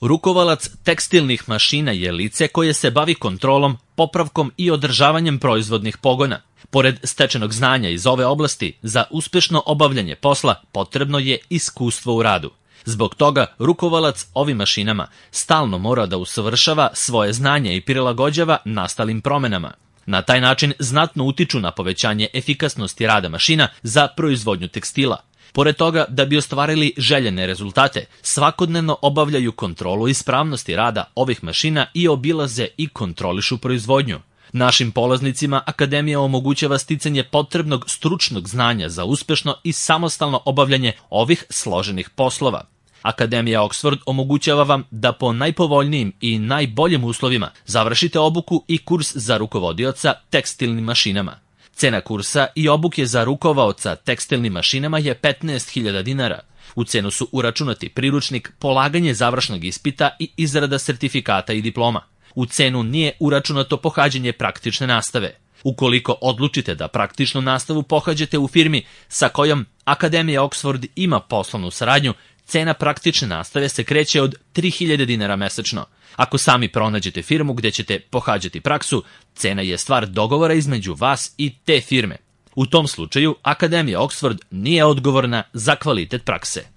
Rukovalac tekstilnih mašina je lice koje se bavi kontrolom, popravkom i održavanjem proizvodnih pogona. Pored stečenog znanja iz ove oblasti, za uspešno obavljanje posla potrebno je iskustvo u radu. Zbog toga, rukovalac ovim mašinama stalno mora da usavršava svoje znanje i prilagođava nastalim promenama. Na taj način znatno utiču na povećanje efikasnosti rada mašina za proizvodnju tekstila. Pored toga, da bi ostvarili željene rezultate, svakodnevno obavljaju kontrolu ispravnosti rada ovih mašina i obilaze i kontrolišu proizvodnju. Našim polaznicima Akademija omogućava sticanje potrebnog stručnog znanja za uspešno i samostalno obavljanje ovih složenih poslova. Akademija Oxford omogućava vam da po najpovoljnijim i najboljim uslovima završite obuku i kurs za rukovodioca tekstilnim mašinama. Cena kursa i obuke za rukovaoca tekstilnim mašinama je 15.000 dinara. U cenu su uračunati priručnik, polaganje završnog ispita i izrada sertifikata i diploma. U cenu nije uračunato pohađanje praktične nastave. Ukoliko odlučite da praktičnu nastavu pohađate u firmi sa kojom Akademija Oxford ima poslovnu saradnju, cena praktične nastave se kreće od 3.000 dinara mesečno. Ako sami pronađete firmu gde ćete pohađati praksu, cena je stvar dogovora između vas i te firme. U tom slučaju, Akademija Oxford nije odgovorna za kvalitet prakse.